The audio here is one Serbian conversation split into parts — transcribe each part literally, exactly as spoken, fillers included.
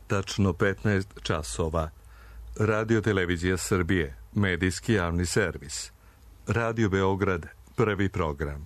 Tačno petnaest časova. Radio Televizija Srbije, medijski javni servis. Radio Beograd, prvi program.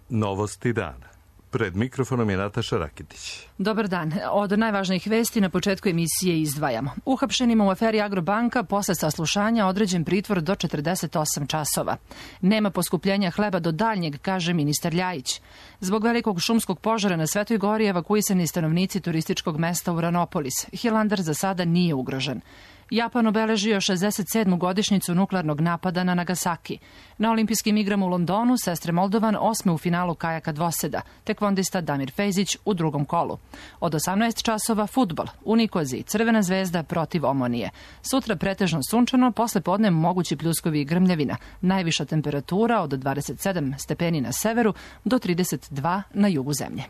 Novosti dana. Pred mikrofonom je Nataša Rakitić. Dobar dan. Od najvažnijih vesti na početku emisije izdvajamo. Uhapšenima u aferi Agrobanka posle saslušanja određen pritvor do četrdeset osam časova. Nema poskupljenja hleba do daljnjeg, kaže ministar Ljajić. Zbog velikog šumskog požara na Svetoj Gori evakuisani stanovnici turističkog mesta Uranopolis. Hilandar za sada nije ugrožen. Japan obeležio šezdeset sedmu godišnjicu nuklearnog napada na Nagasaki. Na olimpijskim igrama u Londonu sestre Moldovan osme u finalu kajaka dvoseda, tekvondista Damir Fejzić u drugom kolu. Od osamnaest časova fudbal, u Nikoziji Crvena zvezda protiv Omonije. Sutra pretežno sunčano, posle podne mogući pljuskovi i grmljavina. Najviša temperatura od dvadeset sedam stepeni na severu do trideset dva na jugu zemlje.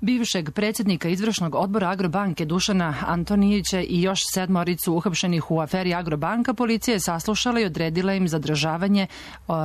Bivšeg predsjednika izvršnog odbora Agrobanke Dušana Antonijića i još sedmoricu uhapšenih u aferi Agrobanka policija je saslušala i odredila im zadržavanje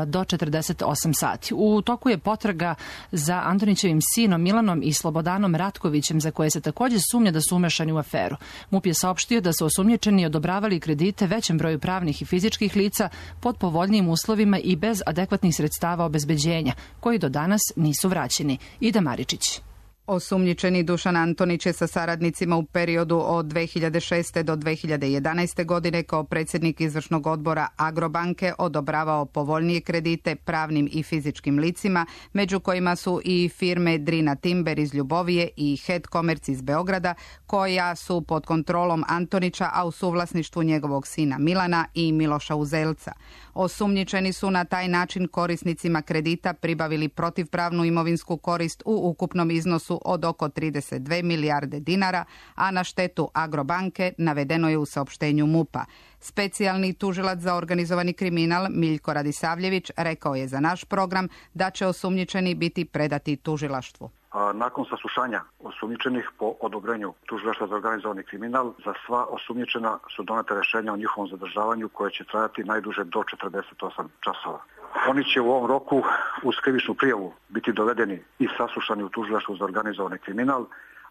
do četrdeset osam sati. U toku je potraga za Antonićevim sinom Milanom i Slobodanom Ratkovićem, za koje se također sumnja da su umešani u aferu. MUP je saopštio da su osumnjičeni odobravali kredite većem broju pravnih i fizičkih lica pod povoljnijim uslovima i bez adekvatnih sredstava obezbeđenja, koji do danas nisu vraćeni. Ida Maričić. Osumnjičeni Dušan Antonić je sa saradnicima u periodu od dve hiljade šeste do dve hiljade jedanaeste. godine kao predsjednik izvršnog odbora Agrobanke odobravao povoljnije kredite pravnim i fizičkim licima, među kojima su i firme Drina Timber iz Ljubovije i Head Commerce iz Beograda, koja su pod kontrolom Antonića, a u suvlasništvu njegovog sina Milana i Miloša Uzelca. Osumnjičeni su na taj način korisnicima kredita pribavili protivpravnu imovinsku korist u ukupnom iznosu od oko trideset dve milijarde dinara, a na štetu Agrobanke navedeno je u saopštenju MUP-a. Specijalni tužilac za organizovani kriminal Miljko Radisavljević rekao je za naš program da će osumnjičeni biti predati tužilaštvu. Nakon saslušanja osumnjičenih po odobrenju tužilaštva za organizovani kriminal, za sva osumnjičena su donete rješenja o njihovom zadržavanju koje će trajati najduže do četrdeset osam časova. Oni će u ovom roku uz krivičnu prijavu biti dovedeni i saslušani u tužilaštvu za organizovani kriminal,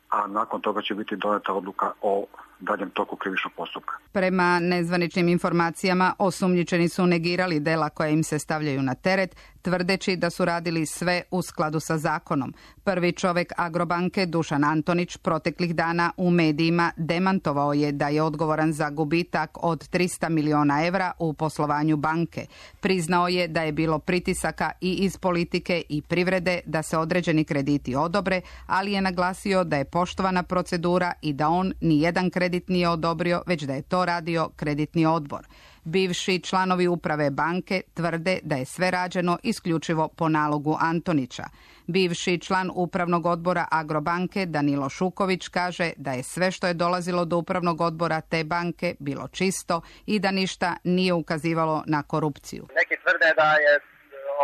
a nakon toga će biti doneta odluka o daljem toku krivičnog postupka. Prema nezvaničnim informacijama, osumnjičeni su negirali dela koja im se stavljaju na teret, tvrdeći da su radili sve u skladu sa zakonom. Prvi čovjek Agrobanke, Dušan Antonić, proteklih dana u medijima demantovao je da je odgovoran za gubitak od trista miliona evra u poslovanju banke. Priznao je da je bilo pritisaka i iz politike i privrede da se određeni krediti odobre, ali je naglasio da je poštovana procedura i da on ni jedan kredit nije odobrio, već da je to radio kreditni odbor. Bivši članovi uprave banke tvrde da je sve rađeno isključivo po nalogu Antonića. Bivši član upravnog odbora Agrobanke Danilo Šuković kaže da je sve što je dolazilo do upravnog odbora te banke bilo čisto i da ništa nije ukazivalo na korupciju. Neki tvrde da je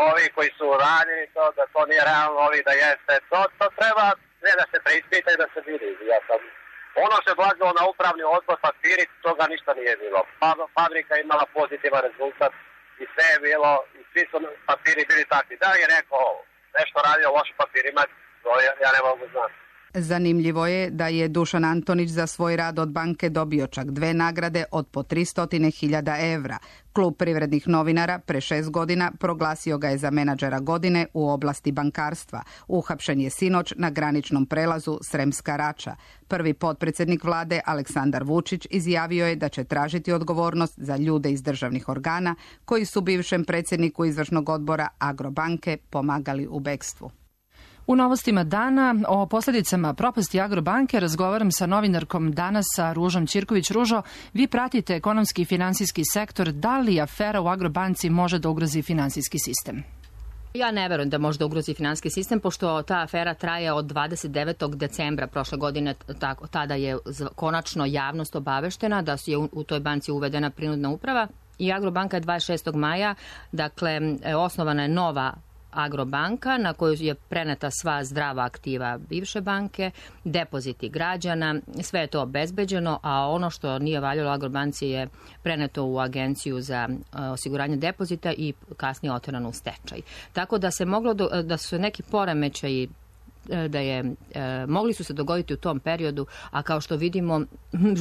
ovi koji su radili to, da to nije realno, ovi da jeste. To, to treba sve da se preispita i da se vidi. Ja sam Ono se dolazilo na upravni odbor, papiri, toga ništa nije bilo. Fabrika je imala pozitivan rezultat i sve je bilo, i svi su papiri bili takvi. Da je rekao nešto radio loše papirima, to ja ne mogu znati. Zanimljivo je da je Dušan Antonić za svoj rad od banke dobio čak dve nagrade od po tristo hiljada evra. Klub privrednih novinara pre šest godina proglasio ga je za menadžera godine u oblasti bankarstva. Uhapšen je sinoć na graničnom prelazu Sremska Rača. Prvi potpredsjednik vlade Aleksandar Vučić izjavio je da će tražiti odgovornost za ljude iz državnih organa koji su bivšem predsjedniku izvršnog odbora Agrobanke pomagali u bekstvu. U novostima dana o posljedicama propasti Agrobanke razgovaram sa novinarkom danas sa Ružom Ćirković. Ružo, vi pratite ekonomski i finansijski sektor. Da li afera u Agrobanci može da ugrozi finansijski sistem? Ja ne verujem da može da ugrozi finansijski sistem, pošto ta afera traje od dvadeset devetog decembra prošle godine. Tako, tada je konačno javnost obaveštena da je u toj banci uvedena prinudna uprava i Agrobanka je dvadeset šestog maja, dakle, osnovana je nova Agrobanka na koju je preneta sva zdrava aktiva bivše banke, depoziti građana, sve je to obezbeđeno, a ono što nije valjalo Agrobanci je preneto u agenciju za osiguranje depozita i kasnije oterano u stečaj. Tako da se moglo do, da su neki poremećaji da je, e, mogli su se dogoditi u tom periodu, a kao što vidimo,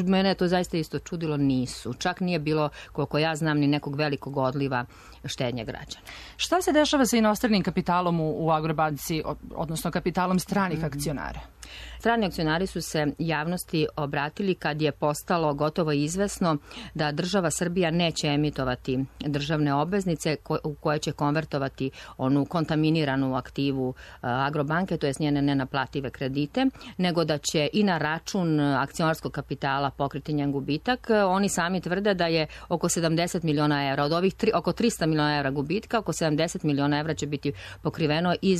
mene je to zaista isto čudilo, nisu. Čak nije bilo, koliko ja znam, ni nekog velikog odliva štednje građana. Šta se dešava sa inostranim kapitalom u, u Agrobanci, odnosno kapitalom stranih akcionara? Strani akcionari su se javnosti obratili kad je postalo gotovo izvesno da država Srbija neće emitovati državne obveznice u koje će konvertovati onu kontaminiranu aktivu Agrobanke, to je njene nenaplative kredite, nego da će i na račun akcionarskog kapitala pokriti njen gubitak. Oni sami tvrde da je oko sedamdeset miliona evra, od ovih tri, oko trista miliona evra gubitka, oko sedamdeset miliona evra će biti pokriveno iz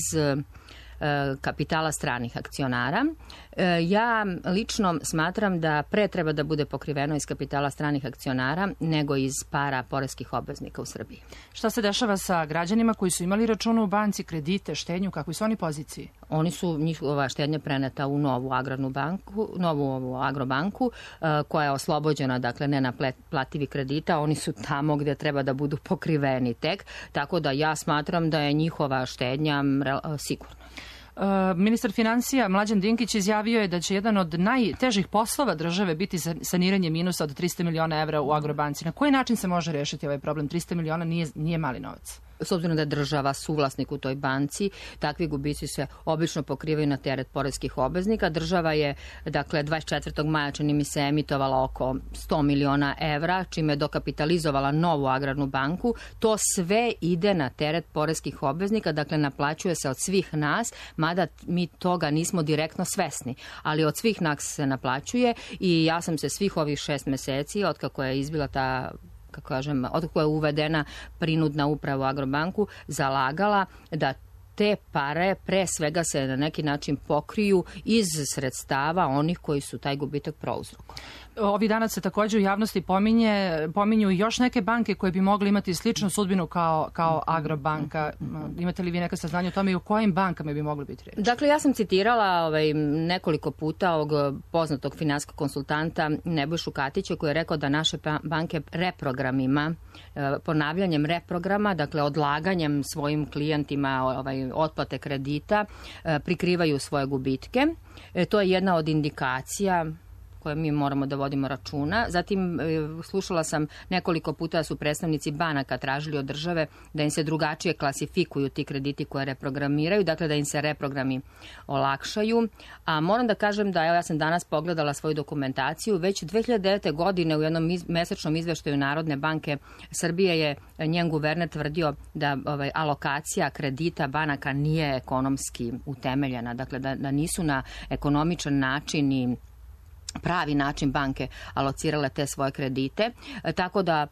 kapitala stranih akcionara. Ja lično smatram da pre treba da bude pokriveno iz kapitala stranih akcionara nego iz para poreskih obveznika u Srbiji. Šta se dešava sa građanima koji su imali račune u banci, kredite, štednju, kakvi su oni poziciji? Oni su, njihova štednja preneta u novu agrarnu banku, novu ovu agrobanku, koja je oslobođena, dakle, nenaplativi kredita. Oni su tamo gde treba da budu pokriveni tek, tako da ja smatram da je njihova štednja sigurna. Ministar finansija Mlađan Dinkić izjavio je da će jedan od najtežih poslova države biti saniranje minusa od trista miliona evra u Agrobanci. Na koji način se može rešiti ovaj problem? trista miliona nije, nije mali novac. S obzirom da je država suvlasnik u toj banci, takvi gubici se obično pokrivaju na teret poreskih obveznika. Država je, dakle, dvadeset četvrtog maja, čini mi se, emitovala oko sto miliona evra, čime je dokapitalizovala novu agrarnu banku. To sve ide na teret poreskih obveznika, dakle, naplaćuje se od svih nas, mada mi toga nismo direktno svesni, ali od svih nas se naplaćuje i ja sam se svih ovih šest meseci, otkako je izbila ta kako kažem, otkako je uvedena prinudna uprava u Agrobanku, zalagala da te pare pre svega se na neki način pokriju iz sredstava onih koji su taj gubitak prouzrokovali. Ovi dana se takođe u javnosti pominje, pominju još neke banke koje bi mogli imati sličnu sudbinu kao, kao Agrobanka. Imate li vi neka saznanja o tome i o kojim bankama bi mogli biti reč? Dakle, ja sam citirala ovaj, nekoliko puta ovog poznatog finansijskog konsultanta Nebojšu Katića koji je rekao da naše banke reprogramima, ponavljanjem reprograma, dakle odlaganjem svojim klijentima ovaj, otplate kredita, prikrivaju svoje gubitke. E, to je jedna od indikacija koje mi moramo da vodimo računa. Zatim slušala sam nekoliko puta da su predstavnici banaka tražili od države da im se drugačije klasifikuju ti krediti koje reprogramiraju, dakle da im se reprogrami olakšaju. A moram da kažem da, evo, ja sam danas pogledala svoju dokumentaciju, već dve hiljade devete. godine u jednom iz, mesečnom izveštaju Narodne banke Srbije je njen guverner tvrdio da ovaj, alokacija kredita banaka nije ekonomski utemeljena, dakle da, da nisu na ekonomičan način i pravi način banke alocirale te svoje kredite, tako da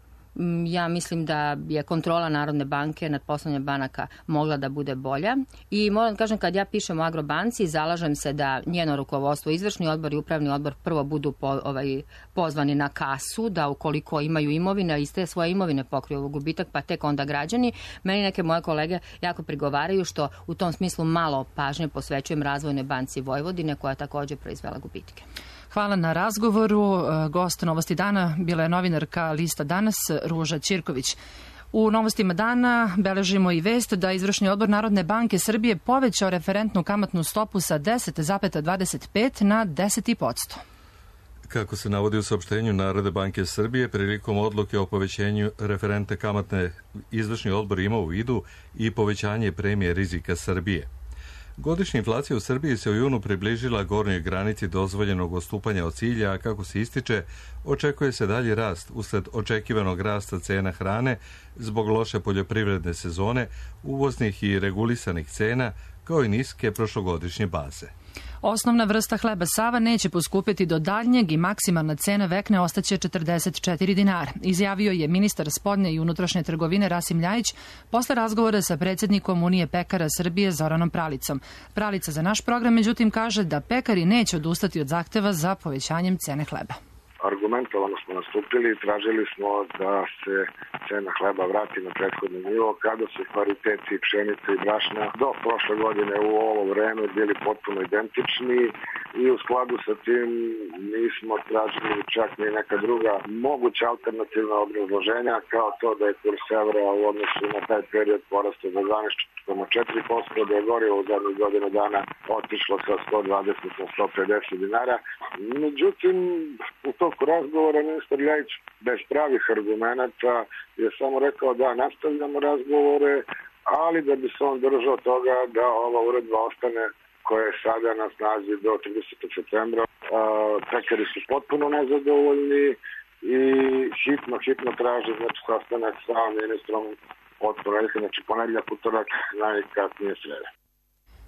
ja mislim da je kontrola Narodne banke nad poslovanjem banaka mogla da bude bolja i moram da kažem, kad ja pišem o Agrobanci, zalažem se da njeno rukovodstvo, izvršni odbor i upravni odbor prvo budu po, ovaj, pozvani na kasu, da ukoliko imaju imovine, iz te svoje imovine pokriju gubitak, pa tek onda građani. Meni neke moje kolege jako prigovaraju što u tom smislu malo pažnje posvećujem Razvojnoj banci Vojvodine, koja je također proizvela gubitke. Hvala na razgovoru. Gost Novosti dana bila je novinarka Lista Danas Ruža Ćirković. U Novostima dana beležimo i vest da Izvršni odbor Narodne banke Srbije povećao referentnu kamatnu stopu sa deset zarez dvadeset pet na deset zarez pet posto. Kako se navodi u saopštenju Narodne banke Srbije, prilikom odluke o povećenju referentne kamatne, Izvršni odbor ima u vidu i povećanje premije rizika Srbije. Godišnja inflacija u Srbiji se u junu približila gornjoj granici dozvoljenog odstupanja od cilja, a kako se ističe, očekuje se dalji rast usled očekivanog rasta cena hrane zbog loše poljoprivredne sezone, uvoznih i regulisanih cena, kao i niske prošlogodišnje baze. Osnovna vrsta hleba Sava neće poskupiti do daljnjeg i maksimalna cena vekne ostaće četrdeset četiri dinara, izjavio je ministar spoljne i unutrašnje trgovine Rasim Ljajić posle razgovora sa predsjednikom Unije pekara Srbije Zoranom Pralicom. Pralica za naš program međutim kaže da pekari neće odustati od zahteva za povećanjem cene hleba. Argumentovano smo nastupili i tražili smo da se cena hleba vrati na prethodni nivo, kada su pariteti pšenice i brašna do prošle godine u ovo vreme bili potpuno identični i u skladu sa tim nismo tražili čak ni neka druga moguća alternativna obrazloženja, kao to da je kurs evra u odnosu na taj period porastao za dvanaest zarez četiri posto, da je gorivo u zadnjih godinu dana otišlo sa sto dvadeset na sto pedeset dinara. Međutim, u toku razgovora ministar Ljajić bez pravih argumenata je samo rekao da nastavljamo razgovore, ali da bi se on držao toga da ova uredba ostane koja je sada na snazi do tridesetog septembra. Pekari su potpuno nezadovoljni i hitno, hitno traže znači, sastanak sa ministrom od ponedjeljka, znači ponedjeljak, utorak, najkasnije sreda.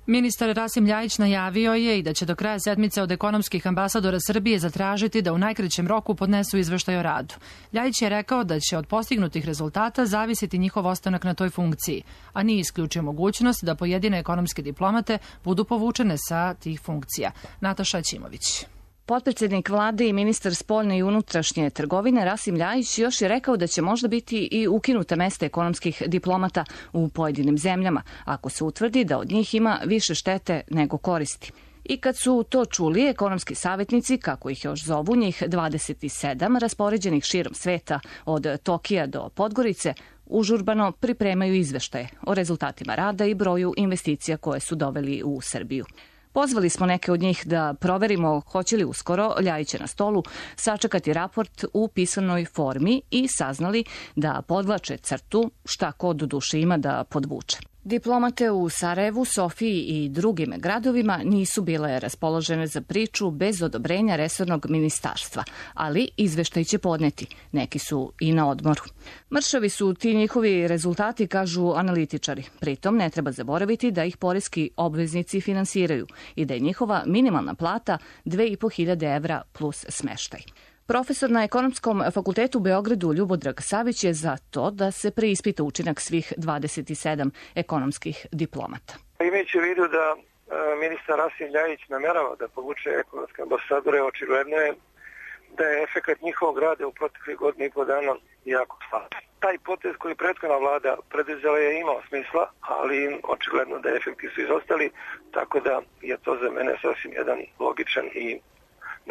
Ministar Rasim Ljajić najavio je i da će do kraja sedmice od ekonomskih ambasadora Srbije zatražiti da u najkraćem roku podnesu izveštaj o radu. Ljajić je rekao da će od postignutih rezultata zavisiti njihov ostanak na toj funkciji, a nije isključio mogućnost da pojedine ekonomske diplomate budu povučene sa tih funkcija. Nataša Ćimović. Potpredsjednik vlade i ministar spoljne i unutrašnje trgovine Rasim Ljajić još je rekao da će možda biti i ukinuta mesta ekonomskih diplomata u pojedinim zemljama, ako se utvrdi da od njih ima više štete nego koristi. I kad su to čuli, ekonomski savjetnici, kako ih još zovu, njih dvadeset sedam, raspoređenih širom sveta od Tokija do Podgorice, užurbano pripremaju izveštaje o rezultatima rada i broju investicija koje su doveli u Srbiju. Pozvali smo neke od njih da proverimo hoće li uskoro Ljajiće na stolu sačekati raport u pisanoj formi i saznali da podvlače crtu šta ko do duše ima da podvuče. Diplomate u Sarajevu, Sofiji i drugim gradovima nisu bile raspoložene za priču bez odobrenja resornog ministarstva, ali izveštaj će podneti. Neki su i na odmoru. Mršavi su ti njihovi rezultati, kažu analitičari. Pritom ne treba zaboraviti da ih poreski obveznici finansiraju i da je njihova minimalna plata dve i po hiljade evra plus smeštaj. Profesor na Ekonomskom fakultetu u Beogradu Ljubodrag Savić je za to da se preispita učinak svih dvadeset sedam ekonomskih diplomata. Imajući u vidu da ministar Rasim Ljajić namerava da povuče ekonomske ambasadore, očigledno je da je efekat njihovog rada u proteklih godinu i po dana jako slab. Taj potez koji prethodna vlada preduzela je imao smisla, ali očigledno da efekti su izostali, tako da je to za mene sasvim jedan logičan i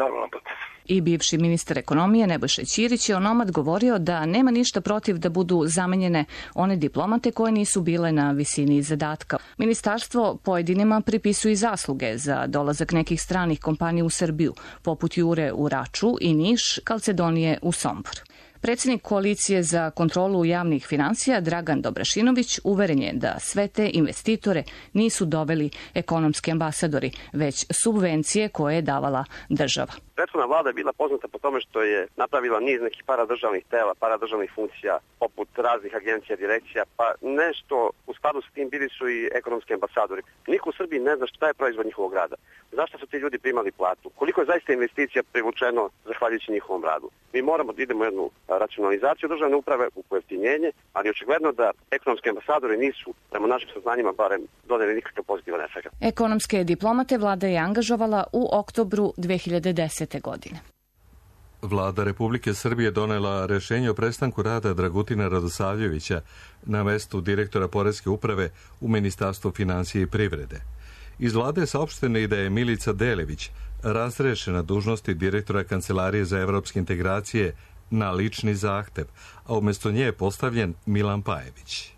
normalan potez. I bivši ministar ekonomije Nebojša Ćirić je onomad govorio da nema ništa protiv da budu zamenjene one diplomate koje nisu bile na visini zadatka. Ministarstvo pojedinima pripisuje zasluge za dolazak nekih stranih kompanija u Srbiju, poput Jure u Raču i Niš, Kalcedonije u Sombor. Predsjednik koalicije za kontrolu javnih finansija Dragan Dobrašinović uveren je da sve te investitore nisu doveli ekonomski ambasadori, već subvencije koje je davala država. Prethodna vlada je bila poznata po tome što je napravila niz nekih paradržavnih tela, paradržavnih funkcija, poput raznih agencija, direkcija, pa nešto u skladu s tim bili su i ekonomski ambasadori. Niko u Srbiji ne zna šta je proizvod njihovog rada. Zašto su ti ljudi primali platu? Koliko je zaista investicija privučeno zahvaljujući njihovom radu? Mi moramo da idemo u jednu racionalizaciju državne uprave, u pojeftinjenje, ali očigledno da ekonomski ambasadori nisu, prema našim saznanjima, barem dodali nikakav pozitivan efekt. Ekonomske diplomate vlada je angažovala u oktobru dve hiljade desete. godine. Vlada Republike Srbije donela rešenje o prestanku rada Dragutina Radosavljevića na mestu direktora Poreske uprave u Ministarstvu finansije i privrede. Iz vlade je saopšteno i da je Milica Delević razrešena dužnosti direktora Kancelarije za evropske integracije na lični zahtev, a umjesto nje je postavljen Milan Pajević.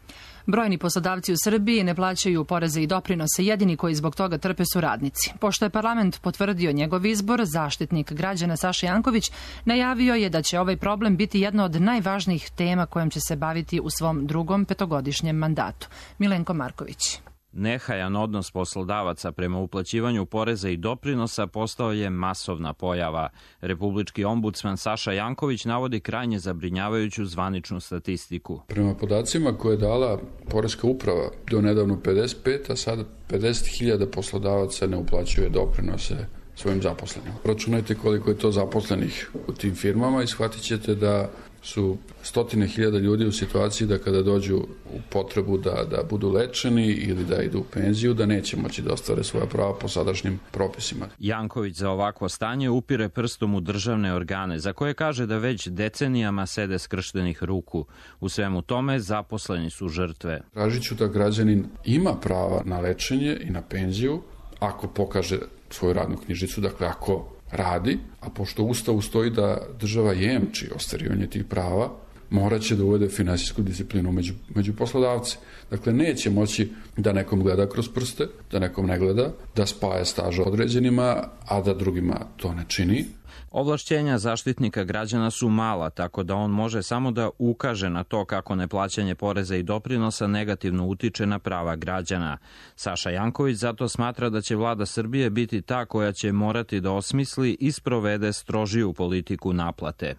Brojni poslodavci u Srbiji ne plaćaju poreze i doprinose, jedini koji zbog toga trpe su radnici. Pošto je parlament potvrdio njegov izbor, zaštitnik građana Saša Janković najavio je da će ovaj problem biti jedna od najvažnijih tema kojom će se baviti u svom drugom petogodišnjem mandatu. Milenko Marković. Nehajan odnos poslodavaca prema uplaćivanju poreza i doprinosa postao je masovna pojava. Republički ombudsman Saša Janković navodi krajnje zabrinjavajuću zvaničnu statistiku. Prema podacima koje je dala Poreska uprava do nedavno pedeset pet, a sada pedeset hiljada poslodavaca ne uplaćuje doprinose svojim zaposlenima. Računajte koliko je to zaposlenih u tim firmama i shvatit ćete da su stotine hiljada ljudi u situaciji da kada dođu u potrebu da, da budu lečeni ili da idu u penziju, da neće moći da ostvare svoja prava po sadašnjim propisima. Janković za ovakvo stanje upire prstom u državne organe, za koje kaže da već decenijama sede skrštenih ruku. U svemu tome zaposleni su žrtve. Tražit ću da građanin ima prava na lečenje i na penziju ako pokaže svoju radnu knjižicu, dakle ako radi, a pošto u Ustavu stoji da država jemči ostvarivanje tih prava, morat će da uvede finansijsku disciplinu među, među poslodavce. Dakle, neće moći da nekom gleda kroz prste, da nekom ne gleda, da spaja staža određenima, a da drugima to ne čini. Ovlašćenja zaštitnika građana su mala, tako da on može samo da ukaže na to kako neplaćanje poreza i doprinosa negativno utiče na prava građana. Saša Janković zato smatra da će vlada Srbije biti ta koja će morati da osmisli i sprovede strožiju politiku naplate.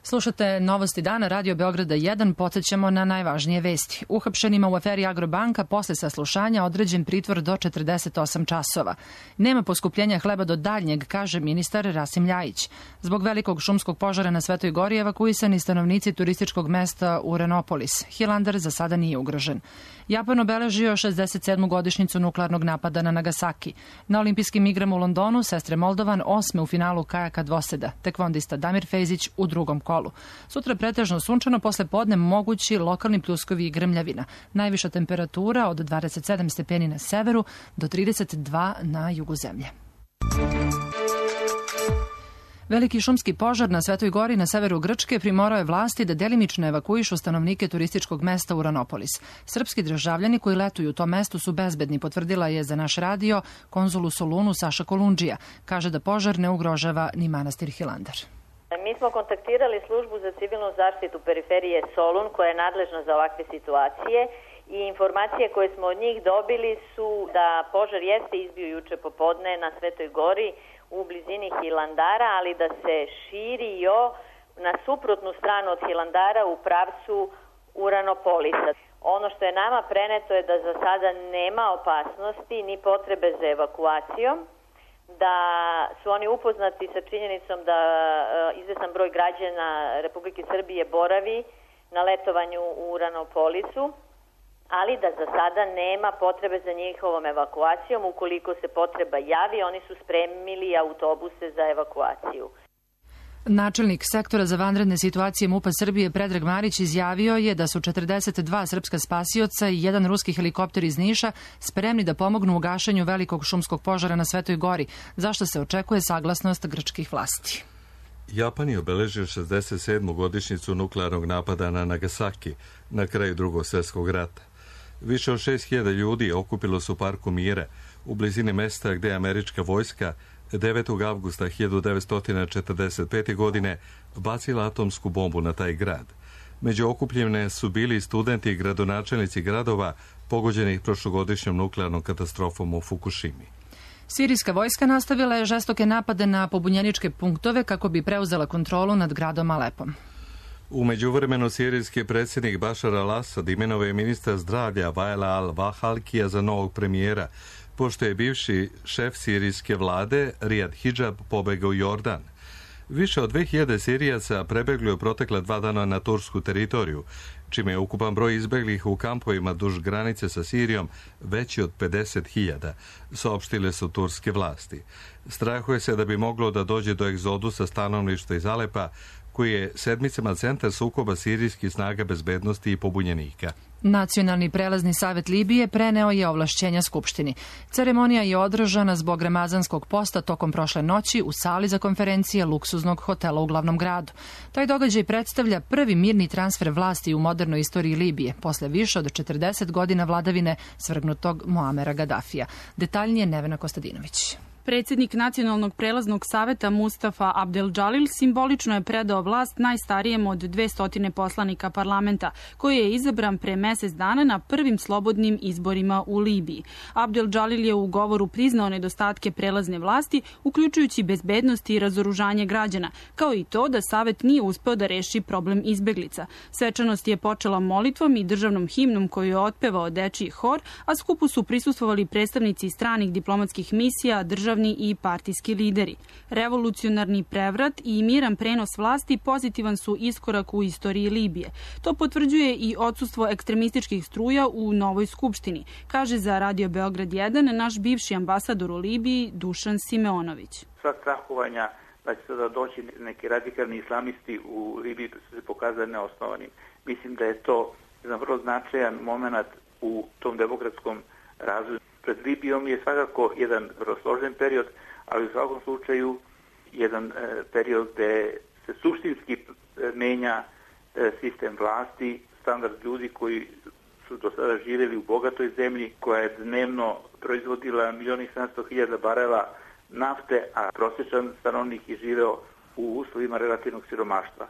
Slušate Novosti dana, Radio Beograda jedan, podsjećamo na najvažnije vesti. Uhapšenima u aferi Agrobanka posle saslušanja određen pritvor do četrdeset osam časova. Nema poskupljenja hleba do daljnjeg, kaže ministar Rasim Ljajić. Zbog velikog šumskog požara na Svetoj Gori evakuisani stanovnici turističkog mesta Uranopolis. Hilandar za sada nije ugrožen. Japan obeležio šezdeset sedmu godišnjicu nuklearnog napada na Nagasaki. Na olimpijskim igrama u Londonu sestre Moldovan osme u finalu kajaka dvoseda. Tekvondista Damir Fejzić u drugom kolu. Sutra pretežno sunčano, posle podne mogući lokalni pljuskovi i grmljavina. Najviša temperatura od dvadeset sedam stepeni na severu do trideset dva na jugu zemlje. Veliki šumski požar na Svetoj Gori na severu Grčke primorao je vlasti da delimično evakuišu stanovnike turističkog mesta Uranopolis. Srpski državljani koji letuju u tom mestu su bezbedni, potvrdila je za naš radio konzul u Solunu Saša Kolundžija. Kaže da požar ne ugrožava ni manastir Hilandar. Mi smo kontaktirali službu za civilnu zaštitu periferije Solun koja je nadležna za ovakve situacije i informacije koje smo od njih dobili su da požar jeste izbio juče popodne na Svetoj Gori u blizini Hilandara, ali da se širio na suprotnu stranu od Hilandara u pravcu Uranopolisa. Ono što je nama preneto je da za sada nema opasnosti ni potrebe za evakuacijom, da su oni upoznati sa činjenicom da izvestan broj građana Republike Srbije boravi na letovanju u Uranopolisu, ali da za sada nema potrebe za njihovom evakuacijom. Ukoliko se potreba javi, oni su spremili autobuse za evakuaciju. Načelnik sektora za vanredne situacije MUP-a Srbije Predrag Marić izjavio je da su četrdeset dva srpska spasioca i jedan ruski helikopter iz Niša spremni da pomognu u gašenju velikog šumskog požara na Svetoj Gori, zašto se očekuje saglasnost grčkih vlasti. Japan je obeležio šezdeset sedmu godišnjicu nuklearnog napada na Nagasaki na kraju Drugog svjetskog rata. Više od šest hiljada ljudi okupilo su u Parku Mira u blizini mesta gde je američka vojska devetog avgusta hiljadu devetsto četrdeset pete. godine bacila atomsku bombu na taj grad. Među okupljene su bili studenti i gradonačelnici gradova pogođenih prošlogodišnjom nuklearnom katastrofom u Fukushimi. Sirijska vojska nastavila je žestoke napade na pobunjeničke punktove kako bi preuzela kontrolu nad gradom Alepom. U međuvremenu sirijski predsjednik Bašar al-Asad imenovao je ministra zdravlja Vajla al-Vahalkija za novog premijera, pošto je bivši šef sirijske vlade Rijad Hidžab pobegao u Jordan. Više od dve hiljade Sirijaca prebegli u protekla dva dana na tursku teritoriju, čime je ukupan broj izbeglih u kampovima duž granice sa Sirijom veći od pedeset hiljada, saopštile su turske vlasti. Strahuje se da bi moglo da dođe do egzodusa stanovništva iz Alepa, koji je sedmicama centar sukoba sirijskih snaga bezbednosti i pobunjenika. Nacionalni prelazni savjet Libije preneo je ovlašćenja Skupštini. Ceremonija je održana zbog Ramazanskog posta tokom prošle noći u sali za konferencije luksuznog hotela u glavnom gradu. Taj događaj predstavlja prvi mirni transfer vlasti u modernoj istoriji Libije, posle više od četrdeset godina vladavine svrgnutog Muamera Gadafija. Detaljnije Nevena Kostadinović. Predsjednik Nacionalnog prelaznog saveta Mustafa Abdel Džalil simbolično je predao vlast najstarijem od dvesta poslanika parlamenta, koji je izabran pre mesec dana na prvim slobodnim izborima u Libiji. Abdel Džalil je u govoru priznao nedostatke prelazne vlasti, uključujući bezbednost i razoružanje građana, kao i to da savet nije uspeo da reši problem izbeglica. Svečanost je počela molitvom i državnom himnom koju je otpevao dečiji hor, a skupu su prisustvovali predstavnici stranih diplomatskih misija, država državni i partijski lideri. Revolucionarni prevrat i miran prenos vlasti pozitivan su iskorak u istoriji Libije. To potvrđuje i odsustvo ekstremističkih struja u novoj skupštini, kaže za Radio Beograd jedan naš bivši ambasador u Libiji Dušan Simeonović. Sva strahovanja da će sada doći neki radikalni islamisti u Libiji su se pokazali neosnovanim. Mislim da je to jedan vrlo značajan moment u tom demokratskom razvoju. Pred Libijom je svakako jedan vrlo složen period, ali u svakom slučaju jedan e, period gde se suštinski menja e, sistem vlasti, standard ljudi koji su do sada živjeli u bogatoj zemlji, koja je dnevno proizvodila milion i sedamsto hiljada barela nafte, a prosječan stanovnik je živeo u uslovima relativnog siromaštva.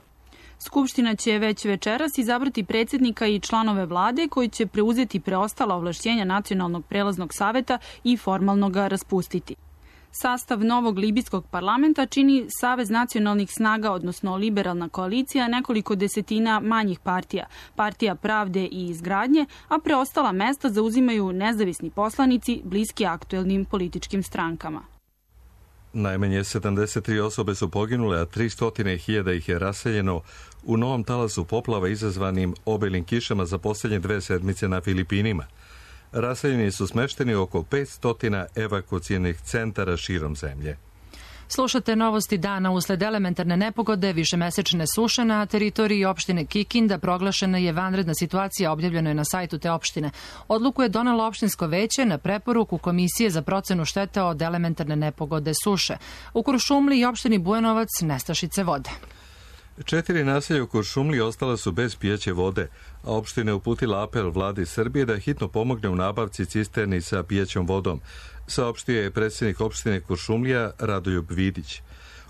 Skupština će već večeras izabrati predsjednika i članove vlade koji će preuzeti preostala ovlašćenja Nacionalnog prelaznog saveta i formalno ga raspustiti. Sastav novog libijskog parlamenta čini Savez nacionalnih snaga, odnosno liberalna koalicija, nekoliko desetina manjih partija, Partija pravde i izgradnje, a preostala mesta zauzimaju nezavisni poslanici bliski aktuelnim političkim strankama. Najmanje sedamdeset tri osobe su poginule, a tristo hiljada ih je raseljeno u novom talasu poplava izazvanim obilnim kišama za posljednje dve sedmice na Filipinima. Raseljeni su smešteni oko petsto evakuacionih centara širom zemlje. Slušate novosti dana. Usled elementarne nepogode, višemesečne suše na teritoriji opštine Kikinda proglašena je vanredna situacija, objavljeno je na sajtu te opštine. Odluku je donelo opštinsko veće na preporuku Komisije za procenu štete od elementarne nepogode suše. U Kuršumliji i opštini Bujanovac nestašice vode. Četiri naselja u Kuršumliji ostala su bez pijeće vode, a opština je uputila apel vladi Srbije da hitno pomogne u nabavci cisterni sa pijećom vodom, saopštio je predsjednik opštine Kuršumlija Radoljub Vidić.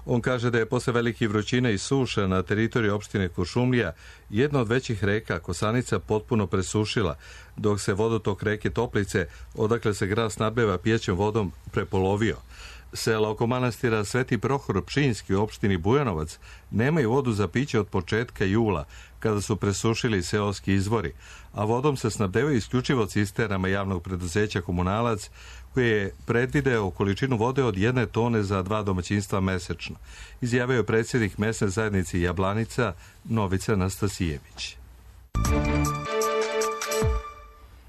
On kaže da je posle velikih vrućina i suša na teritoriji opštine Kuršumlija jedna od većih reka, Kosanica, potpuno presušila, dok se vodotok reke Toplice, odakle se grad snabdeva pijećom vodom, prepolovio. Sela oko manastira Sveti Prohor Pčinjski u opštini Bujanovac nemaju vodu za piće od početka jula, kada su presušili seoski izvori, a vodom se snabdevaju isključivo cisternama javnog preduzeća Komunalac, koji je predvideo količinu vode od jedne tone za dva domaćinstva mesečno, izjavio je predsjednik mesne zajednice Jablanica Novica Nastasijević.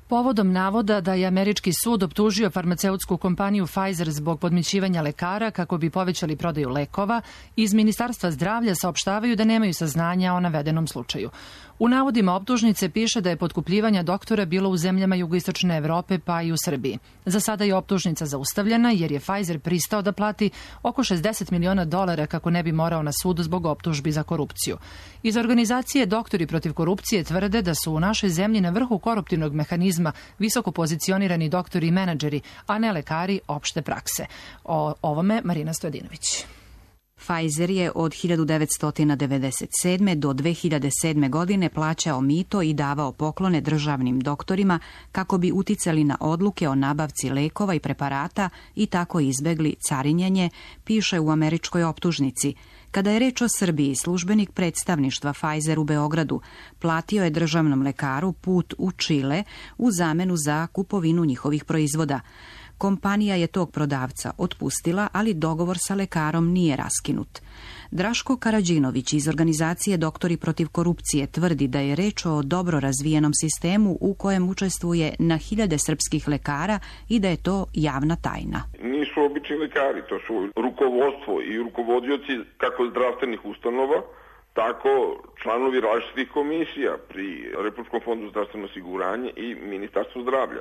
Povodom navoda da je američki sud optužio farmaceutsku kompaniju Pfizer zbog podmićivanja lekara kako bi povećali prodaju lekova, iz Ministarstva zdravlja saopštavaju da nemaju saznanja o navedenom slučaju. U navodima optužnice piše da je potkupljivanja doktora bilo u zemljama jugoistočne Evrope pa i u Srbiji. Za sada je optužnica zaustavljena jer je Pfizer pristao da plati oko šezdeset miliona dolara kako ne bi morao na sudu zbog optužbi za korupciju. Iz organizacije Doktori protiv korupcije tvrde da su u našoj zemlji na vrhu koruptivnog mehanizma visoko pozicionirani doktori i menadžeri, a ne lekari opšte prakse. O ovome Marina Stojadinović. Pfizer je od hiljadu devetsto devedeset sedme. do dve hiljade sedme. godine plaćao mito i davao poklone državnim doktorima kako bi uticali na odluke o nabavci lekova i preparata i tako izbegli carinjenje, piše u američkoj optužnici. Kada je reč o Srbiji, službenik predstavništva Pfizer u Beogradu platio je državnom lekaru put u Čile u zamenu za kupovinu njihovih proizvoda. Kompanija je tog prodavca otpustila, ali dogovor sa lekarom nije raskinut. Draško Karadžinović iz organizacije Doktori protiv korupcije tvrdi da je reč o dobro razvijenom sistemu u kojem učestvuje na hiljade srpskih lekara i da je to javna tajna. Nisu obični lekari, to su rukovodstvo i rukovodioci kako zdravstvenih ustanova, tako članovi različitih komisija pri Republičkom fondu zdravstveno osiguranje i Ministarstvu zdravlja.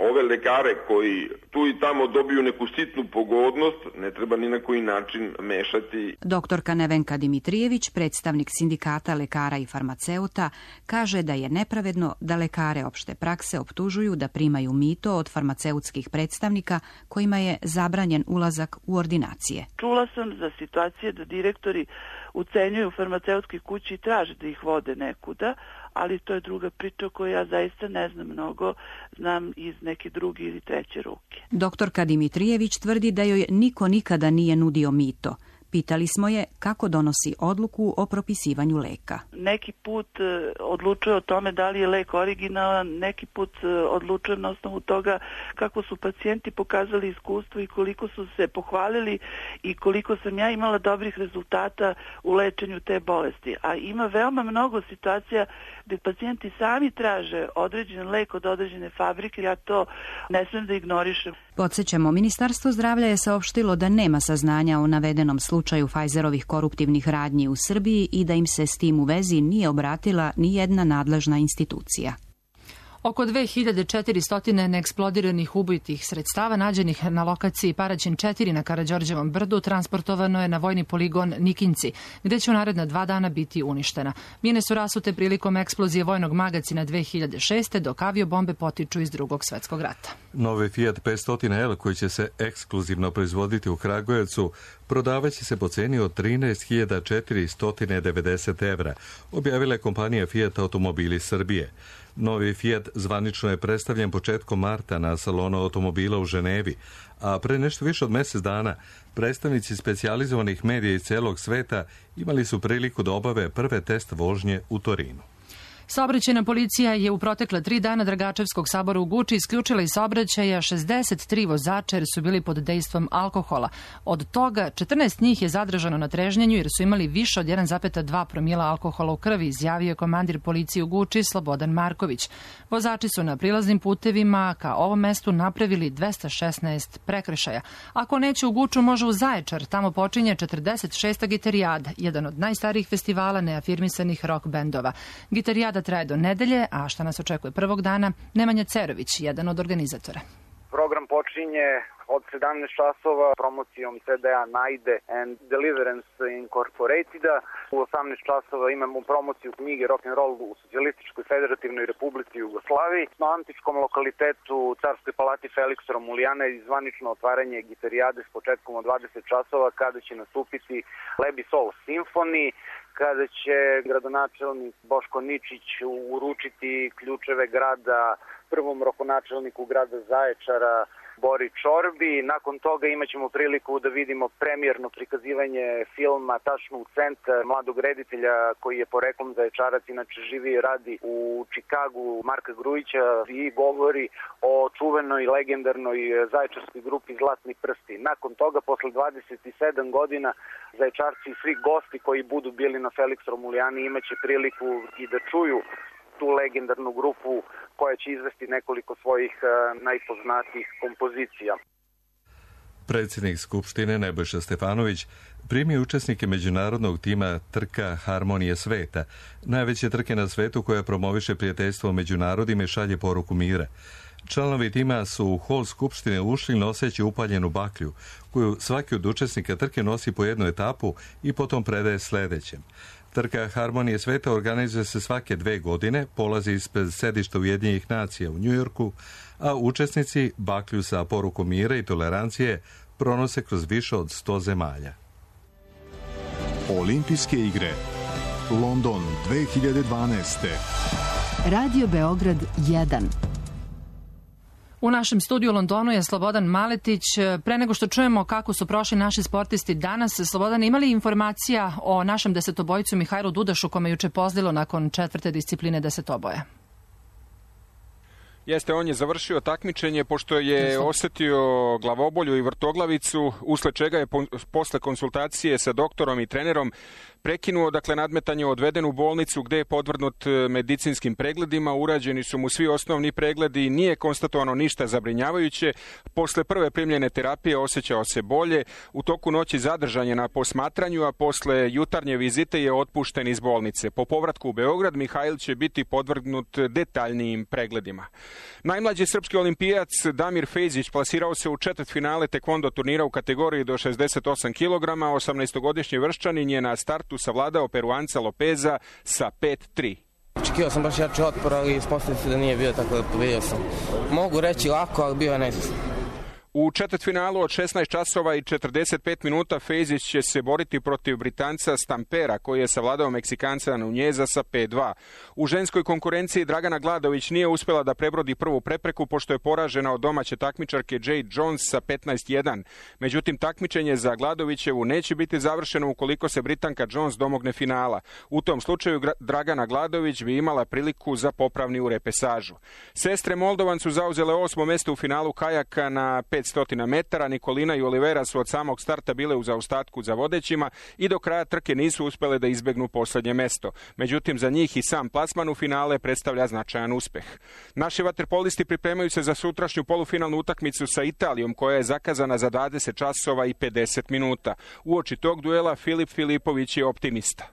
Ove lekare koji tu i tamo dobiju neku sitnu pogodnost, ne treba ni na koji način mešati. Doktorka Nevenka Dimitrijević, predstavnik sindikata lekara i farmaceuta, kaže da je nepravedno da lekare opšte prakse optužuju da primaju mito od farmaceutskih predstavnika kojima je zabranjen ulazak u ordinacije. Čula sam za situacije da direktori ucenjuju farmaceutske kuće i traže da ih vode nekuda, ali to je druga priča o kojoj ja zaista ne znam mnogo, znam iz neke druge ili treće ruke. Doktorka Dimitrijević tvrdi da joj niko nikada nije nudio mito. Pitali smo je kako donosi odluku o propisivanju leka. Neki put odlučuje o tome da li je lek originalan, neki put odlučuje na osnovu toga kako su pacijenti pokazali iskustvo i koliko su se pohvalili i koliko sam ja imala dobrih rezultata u lečenju te bolesti. A ima veoma mnogo situacija gde pacijenti sami traže određen lek od određene fabrike, ja to ne smijem da ignorišem. Podsjećamo, Ministarstvo zdravlja je saopštilo da nema saznanja o navedenom slučaju Pfizerovih koruptivnih radnji u Srbiji i da im se s tim u vezi nije obratila ni jedna nadležna institucija. Oko dve hiljade četiristo neeksplodiranih ubojitih sredstava nađenih na lokaciji Paraćin četiri na Karađorđevom brdu transportovano je na vojni poligon Nikinci, gde će u naredna dva dana biti uništena. Mine su rasute prilikom eksplozije vojnog magacina dve hiljade šeste. dok aviobombe potiču iz Drugog svetskog rata. Novi Fiat petsto L koji će se ekskluzivno proizvoditi u Kragujevcu prodavaće se po ceni od trinaest hiljada četiristo devedeset evra, objavila je kompanija Fiat Automobili Srbije. Novi Fiat zvanično je predstavljen početkom marta na salonu automobila u Ženevi, a pre nešto više od mjesec dana predstavnici specijalizovanih medija iz celog sveta imali su priliku da obave prve test vožnje u Torinu. Saobraćajna policija je u protekle tri dana Dragačevskog sabora u Guči isključila iz saobraćaja šezdeset tri vozača jer su bili pod dejstvom alkohola. Od toga četrnaest njih je zadržano na trežnjenju jer su imali više od jedan zarez dva promila alkohola u krvi, izjavio je komandir policije u Guči Slobodan Marković. Vozači su na prilaznim putevima ka ovom mestu napravili dvesta šesnaest prekršaja. Ako neće u Guču, može u Zaječar. Tamo počinje četrdeset šesta Gitarijada, jedan od najstarijih festivala neafirmisanih rock bendova. Gitarijada traje do nedelje, a šta nas očekuje prvog dana? Nemanja Cerović, jedan od organizatora. Program počinje od sedamnaest časova promocijom C D-a Najde and Deliverance Incorporateda. U osamnaest časova imamo promociju knjige Rock'n'Roll u Socijalističkoj federativnoj republici Jugoslaviji. Na antičkom lokalitetu Carskoj palati Feliksa Romulijana je zvanično otvaranje Gitarijade s početkom od dvadeset časova kada će nastupiti Lebi Soul Symphony, kada će gradonačelnik Boško Ničić uručiti ključeve grada prvom rokonačelniku grada Zaječara Bori Čorbi. Nakon toga imat ćemo priliku da vidimo premijerno prikazivanje filma Tačno u centar mladog reditelja koji je poreklom Zaječarac, inače živi i radi u Čikagu, Marka Grujića, i govori o čuvenoj legendarnoj zaječarskoj grupi Zlatni prsti. Nakon toga, posle dvadeset sedam godina, Zaječarci i svi gosti koji budu bili na Felix Romulijani imaće priliku i da čuju tu legendarnu grupu koja će izvesti nekoliko svojih uh, najpoznatijih kompozicija. Predsjednik Skupštine Nebojša Stefanović primio učesnike međunarodnog tima Trka Harmonije sveta, najveće trke na svetu koja promoviše prijateljstvo među narodima i šalje poruku mira. Članovi tima su u hol Skupštine ušli noseći upaljenu baklju, koju svaki od učesnika trke nosi po jednu etapu i potom predaje sljedećem. Trka Harmonije sveta organizuje se svake dve godine, polazi ispred sedišta Ujedinjenih nacija u Njujorku, a učesnici baklju sa porukom mira i tolerancije pronose kroz više od sto zemalja. Olimpijske igre London dve hiljade dvanaeste. Radio Beograd jedan. U našem studiju u Londonu je Slobodan Maletić. Pre nego što čujemo kako su prošli naši sportisti danas, Slobodan, imali informacija o našem desetobojcu Mihajlu Dudašu, kome juče pozlilo nakon četvrte discipline desetoboja? Jeste, on je završio takmičenje pošto je osetio glavobolju i vrtoglavicu, usled čega je po, posle konsultacije sa doktorom i trenerom prekinuo, dakle, nadmetanje, odveden u bolnicu gde je podvrgnut medicinskim pregledima, urađeni su mu svi osnovni pregledi, nije konstatovano ništa zabrinjavajuće. Posle prve primljene terapije osjećao se bolje, u toku noći zadržan je na posmatranju, a posle jutarnje vizite je otpušten iz bolnice. Po povratku u Beograd Mihajl će biti podvrgnut detaljnijim pregledima. Najmlađi srpski olimpijac Damir Fejzić plasirao se u četvrtfinale tekvondo turnira u kategoriji do šezdeset osam kilograma, osamnaestogodišnji vrščanin je na startu savladao Peruanca Lopeza sa pet tri. Očekivao sam baš jači otpor, ali ispostavio se da nije bio, tako da pobedio sam. Mogu reći lako, ali bio je neizvesno. U četvrtfinalu od šesnaest časova i četrdeset pet minuta Fejzić će se boriti protiv Britanca Stampera, koji je savladao Meksikanca Nunjeza sa pet dva. U ženskoj konkurenciji Dragana Gladović nije uspjela da prebrodi prvu prepreku, pošto je poražena od domaće takmičarke Jade Jones sa petnaest jedan. Međutim, takmičenje za Gladovićevu neće biti završeno ukoliko se Britanka Jones domogne finala. U tom slučaju Dragana Gladović bi imala priliku za popravni u repesažu. Sestre Moldovan su zauzele osmo mesto u finalu kajaka na petsto metara. Nikolina i Olivera su od samog starta bile u zaostatku za vodećima i do kraja trke nisu uspjele da izbegnu posljednje mesto. Međutim, za njih i sam plasman u finale predstavlja značajan uspeh. Naši vaterpolisti pripremaju se za sutrašnju polufinalnu utakmicu sa Italijom, koja je zakazana za dvadeset časova i pedeset minuta. Uoči tog duela Filip Filipović je optimista.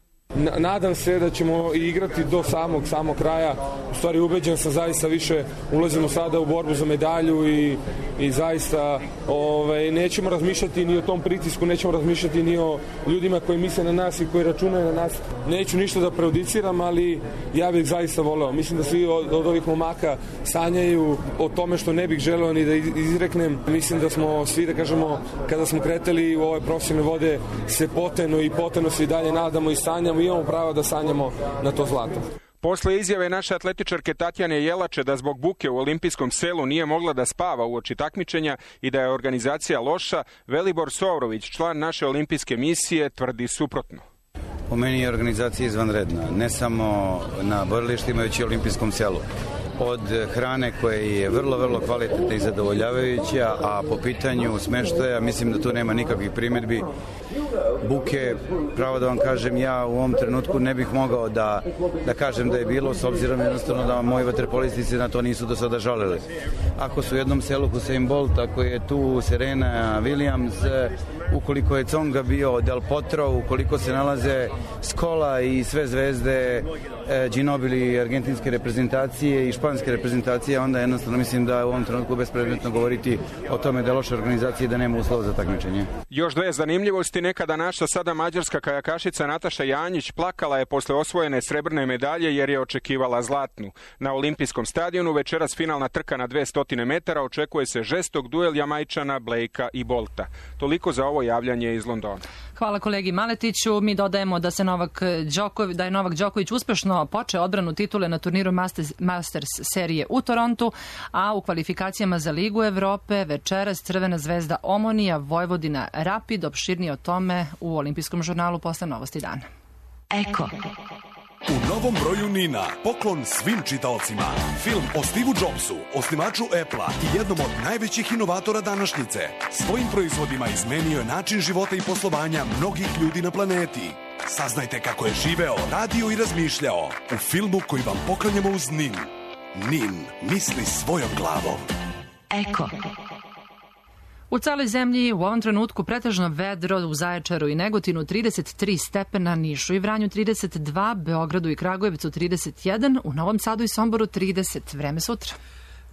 Nadam se da ćemo igrati do samog samog kraja. U stvari ubeđen sam, zaista više ulazimo sada u borbu za medalju i, i zaista ovaj, nećemo razmišljati ni o tom pritisku, nećemo razmišljati ni o ljudima koji misle na nas i koji računaju na nas. Neću ništa da prejudiciram, ali ja bih zaista voleo. Mislim da svi od, od ovih momaka sanjaju o tome što ne bih želeo ni da izreknem. Mislim da smo svi, da kažemo, kada smo kretali u ove profesionalne vode, se poteno i poteno se i dalje nadamo i sanjamo. Imamo pravo da sanjamo na to zlato. Posle izjave naše atletičarke Tatjane Jelače da zbog buke u olimpijskom selu nije mogla da spava uoči takmičenja i da je organizacija loša, Velibor Sovrović, član naše olimpijske misije, tvrdi suprotno. Po meni je organizacija izvanredna, ne samo na borilištima, već i u olimpijskom selu. Od hrane koja je vrlo, vrlo kvalitetna i zadovoljavajuća, a po pitanju smeštaja mislim da tu nema nikakvih primjedbi. Buke, pravo da vam kažem, ja u ovom trenutku ne bih mogao da, da kažem da je bilo, s obzirom jednostavno da moji vaterpolisti se na to nisu do sada žalili. Ako su u jednom selu Usain Bolt, ako je tu Serena Williams, ukoliko je Tsonga bio Del Potro, ukoliko se nalaze Scola i sve zvezde e, Ginobili argentinske reprezentacije i španske reprezentacije, onda jednostavno mislim da u ovom trenutku bespredmetno govoriti o tome da je loša organizacija i da nema uslova za takmičenje. Još dve zanimljivosti. Nekada naša, sada mađarska kajakašica Nataša Janjić plakala je posle osvojene srebrne medalje jer je očekivala zlatnu. Na olimpijskom stadionu večeras finalna trka na dvesta metara, očekuje se žestok duel Jamajčana, Blakea i Bolta. Toliko za ovo javljanje iz Londona. Hvala kolegi Maletiću. Mi dodajemo da se Novak Đoković, da je Novak Đoković uspešno počeo odbranu titule na turniru Masters, Masters serije u Torontu, a u kvalifikacijama za Ligu Evrope večeras Crvena zvezda Omonija, Vojvodina Rapid. Opširnije o tome u Olimpijskom žurnalu posle Novosti dana. Eko. U novom broju Nina, poklon svim čitaocima. Film o Steve Jobsu, osnivaču Apple-a i jednom od najvećih inovatora današnjice. Svojim proizvodima izmenio je način života i poslovanja mnogih ljudi na planeti. Saznajte kako je živeo, radio i razmišljao u filmu koji vam poklanjamo uz Nin. Nin misli svojom glavom. Eko. U celoj zemlji u ovom trenutku pretežno vedro, u Zaječaru i Negotinu trideset tri stepena, Nišu i Vranju trideset dva, Beogradu i Kragujevcu trideset jedan, u Novom Sadu i Somboru trideset. Vreme sutra.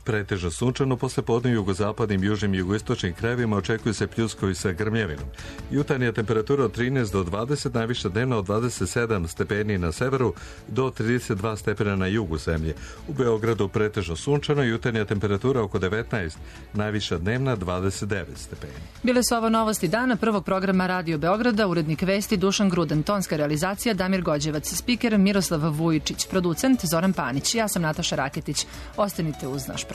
Pretežno sunčano, posle podne u jugozapadnim, južnim i jugoistočnim krajevima očekuju se pljuskovi sa grmljevinom. Jutarnja temperatura od trinaest do dvadeset, najviša dnevna od dvadeset sedam stepeni na severu do trideset dva stepena na jugu zemlje. U Beogradu pretežno sunčano, jutarnja temperatura oko devetnaest, najviša dnevna dvadeset devet stepeni. Bile su ovo novosti dana prvog programa Radio Beograda, urednik vesti Dušan Gruden, tonska realizacija Damir Gođevac, spiker Miroslav Vujičić, producent Zoran Panić. Ja sam Nataša Raketić. Ostanite uz naš program.